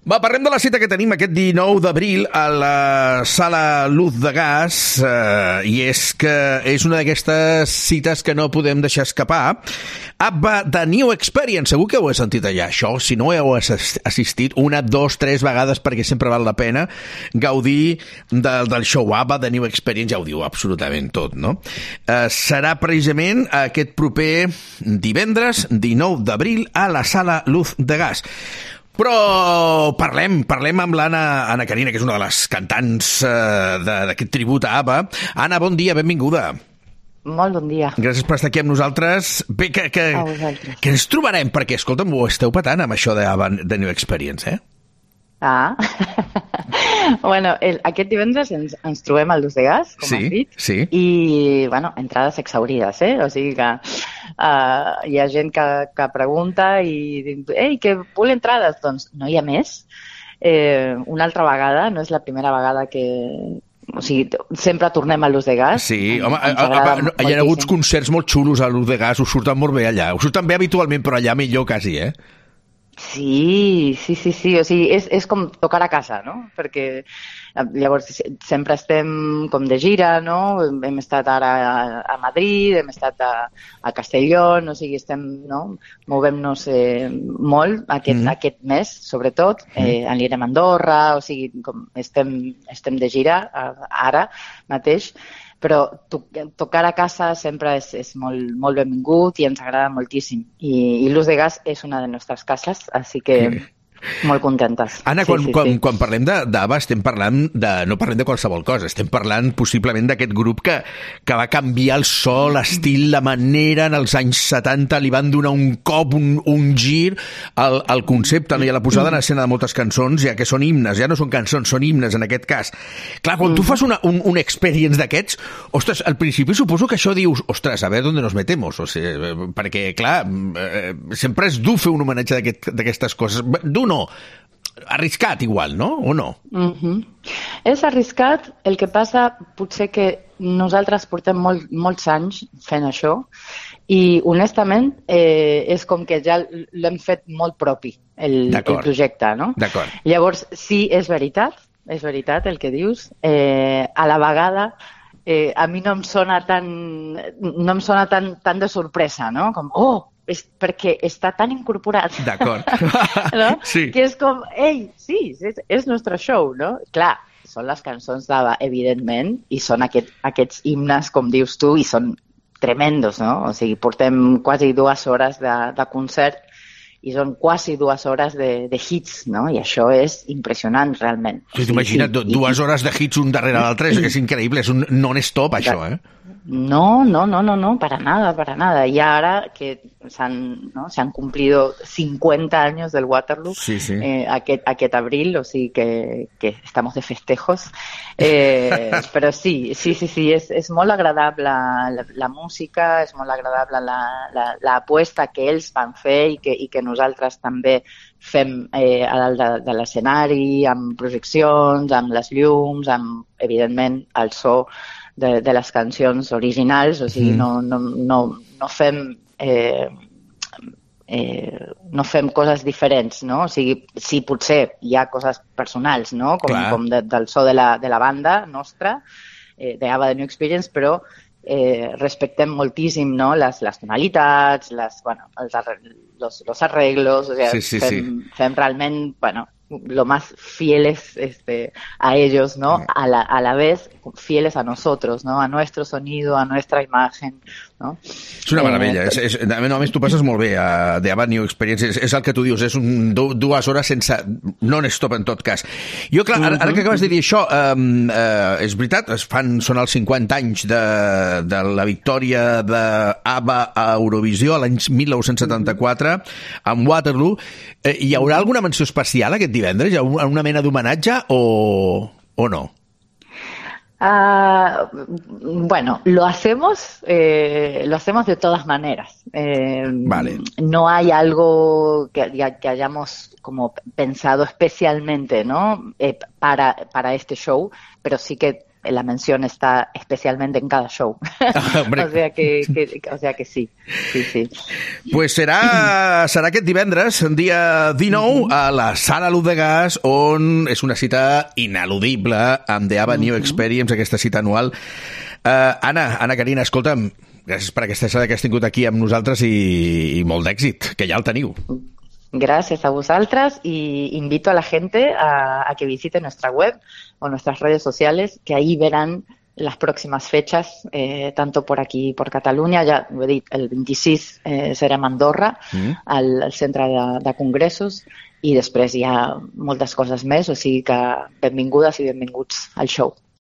Va, parlem de la cita que tenim aquest 19 d'abril a la Sala Luz de Gas, i és que és una d'aquestes cites que no podem deixar escapar. ABBA The New Experience, segur que ho he sentit allà, això. Si no heu assistit 1, 2, 3 vegades, perquè sempre val la pena gaudir del show ABBA The New Experience, ja ho diu absolutament tot, no? Serà precisament aquest proper divendres, 19 d'abril, a la Sala Luz de Gas. Però parlem amb l'Anna Carina, que és una de les cantants d'aquest tribut a ABBA. Anna, bon dia, benvinguda. Molt bon dia. Gràcies per estar aquí amb nosaltres. Bé, que ens trobarem, perquè, escolta'm, ho esteu patant amb això d'ABBA The New Experience, eh? Ah, bueno, aquest divendres ens trobem al Luz de Gas, com has dit, sí. I, bueno, entrades exhaurides, o sigui que hi ha gent que pregunta i diu, ei, que vull entrades, doncs no hi ha més. Una altra vegada, no és la primera vegada que... O sigui, sempre tornem a Luz de Gas. Sí, home, hi ha hagut concerts molt xulos a Luz de Gas, us surten molt bé allà. Us surten bé habitualment, però allà millor quasi, eh? Sí, o sigui, és com tocar a casa, no? Perquè llavors sempre estem com de gira, no? Hem estat ara a Madrid, hem estat a Castelló, o sigui, estem, no? Movem-nos molt aquest mes, sobretot, anirem a Andorra, o sigui, com estem de gira ara mateix, però tocar a casa sempre és molt, molt benvingut i ens agrada moltíssim. I Luz de Gas és una de les nostres cases, així que molt contentes. Anna, quan parlem d'ABBA estem parlant no parlem de qualsevol cosa, estem parlant possiblement d'aquest grup que va canviar el so, l'estil, la manera, en els anys 70 li van donar un cop, un gir al concepte, no? I a la posada en escena de moltes cançons, ja que són himnes, ja no són cançons, són himnes en aquest cas. Clar, quan tu fas un experience d'aquests, ostres, al principi suposo que això dius, ostres, a veure on nos metemos, o sigui, perquè, clar, sempre és dur fer un homenatge d'aquestes coses, dur no, arriscat igual, no? O no? És arriscat, el que passa potser que nosaltres portem molts anys fent això i honestament és com que ja l'hem fet molt propi el projecte, no? D'acord. Llavors sí, és veritat el que dius, a la vegada a mi no em sona tan de sorpresa, no? Com, és perquè està tan incorporat. D'acord. No? Sí. Que és com, ei, sí, és nostre show, no? Clar, són les cançons d'ABBA, evidentment, i són aquests himnes, com dius tu, i són tremendos, no? O sigui, portem quasi 2 hores de concert i són quasi 2 hores de hits, no? I això és impressionant, realment. T'imagina't, 2 hores de hits un darrere l'altre, és increïble, és un non-stop, això, eh? No, para nada. Y ahora que se han cumplido 50 años del Waterloo, aquest abril, o sigui que estamos de festejos. Però sí, és molt agradable la música, és molt agradable l'aposta que ells van fer i que nosaltres també fem a dalt de l'escenari, amb projeccions, amb les llums, amb, evidentment, el so de les cancions originals, o sigui, no fem coses diferents, no? O sigui, sí, potser hi ha coses personals, no? Com del so de la banda nostra, d'ABBA The New Experience, però respectem moltíssim, no? Les tonalitats, los arreglos, o sea, fem realment, lo más fieles a ellos, ¿no? A la vez fieles a nosotros, ¿no? A nuestro sonido, a nuestra imagen, ¿no? És una meravella. A més, tu passes molt bé de ABBA New Experience. És el que tu dius, és 2 hores sense non-stop en tot cas. Jo, clar, ara que acabes de dir això, és veritat, són els 50 anys de la victòria d'ABBA a Eurovisió l'any 1974 amb Waterloo. Hi haurà alguna menció especial aquest divendres? Hi ha una mena d'homenatge o no? Bueno, lo hacemos de todas maneras. Vale. No hay algo que hayamos como pensado especialmente, ¿no? Para este show, pero sí que la mención está especialmente en cada show. Hombre. O sea que sí, sí, sí. Pues serà aquest divendres, dia 19, a la Sala Luz de Gas, on és una cita ineludible amb The Avenue Experience, aquesta cita anual. Anna Carina, escolta'm, gràcies per aquesta estada que has tingut aquí amb nosaltres i molt d'èxit, que ja el teniu. Gracias a vosotras y invito a la gente a que visite nuestra web o nuestras redes sociales, que ahí verán las próximas fechas, tanto por aquí, por Catalunya, ja ho he dit, el 26 serem a Andorra, al centre de congressos, i després hi ha moltes coses més, o sigui que benvingudes i benvinguts al show.